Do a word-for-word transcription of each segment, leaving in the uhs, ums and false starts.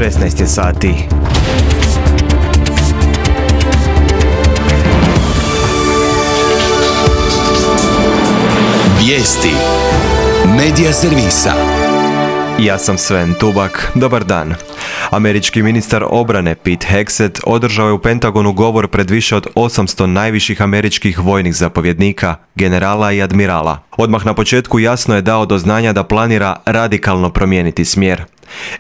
šesnaest je sati. Vijesti Medija servisa. Ja sam Sven Tubak. Dobar dan. Američki ministar obrane Pete Hegseth održao je u Pentagonu govor pred više od osamsto najviših američkih vojnih zapovjednika, generala i admirala. Odmah na početku jasno je dao do znanja da planira radikalno promijeniti smjer.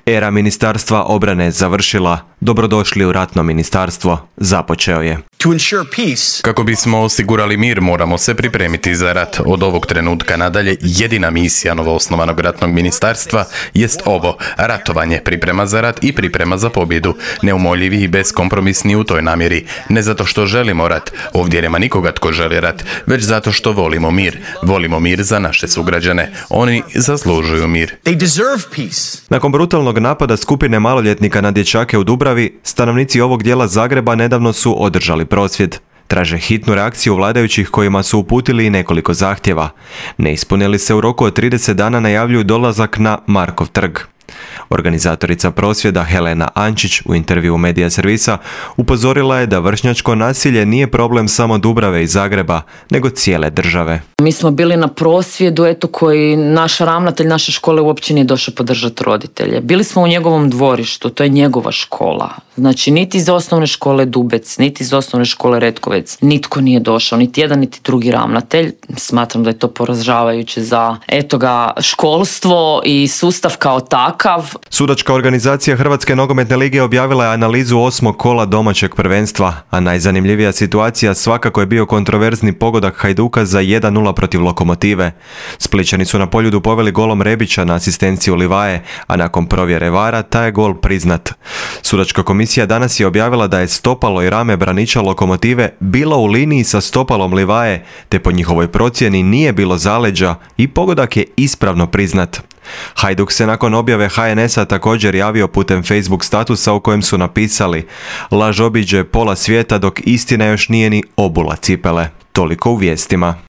Era ministarstva obrane je završila. Dobrodošli u ratno ministarstvo, započeo je. Kako bismo osigurali mir, moramo se pripremiti za rat. Od ovog trenutka nadalje jedina misija novoosnovanog ratnog ministarstva jest ovo: ratovanje, priprema za rat i priprema za pobjedu. Neumoljivi i beskompromisni u toj namjeri. Ne zato što želimo rat, ovdje nema nikoga tko želi rat, već zato što volimo mir. Volimo mir za naše sugrađane. Oni zaslužuju mir. Nakon brutalnog napada skupine maloljetnika na dječake u Dubravi, stanovnici ovog dijela Zagreba nedavno su održali prosvjed. Traže hitnu reakciju vladajućih kojima su uputili i nekoliko zahtjeva. Ne ispunili se u roku od trideset dana najavljuju dolazak na Markov trg. Organizatorica prosvjeda Helena Ančić u intervjuu Medija servisa upozorila je da vršnjačko nasilje nije problem samo Dubrave i Zagreba, nego cijele države. Mi smo bili na prosvjedu eto koji naš ravnatelj naše škole uopće nije došao podržati roditelje. Bili smo u njegovom dvorištu, to je njegova škola. Znači niti iz osnovne škole Dubec, niti iz osnovne škole Retkovec, nitko nije došao, niti jedan niti drugi ravnatelj. Smatram da je to poražavajuće za eto ga školstvo i sustav kao takav. Sudačka organizacija Hrvatske nogometne lige objavila je analizu osmog kola domaćeg prvenstva, a najzanimljivija situacija svakako je bio kontroverzni pogodak Hajduka za jedan nula protiv Lokomotive. Splićani su na Poljudu poveli golom Rebića na asistenciju Livaje, a nakon provjere vara taj je gol priznat. Sudačka komisija danas je objavila da je stopalo i rame braniča Lokomotive bilo u liniji sa stopalom Livaje, te po njihovoj procjeni nije bilo zaleđa i pogodak je ispravno priznat. Hajduk se nakon objave ha en es a također javio putem Facebook statusa u kojem su napisali: laž obiđe pola svijeta dok istina još nije ni obula cipele. Toliko u vijestima.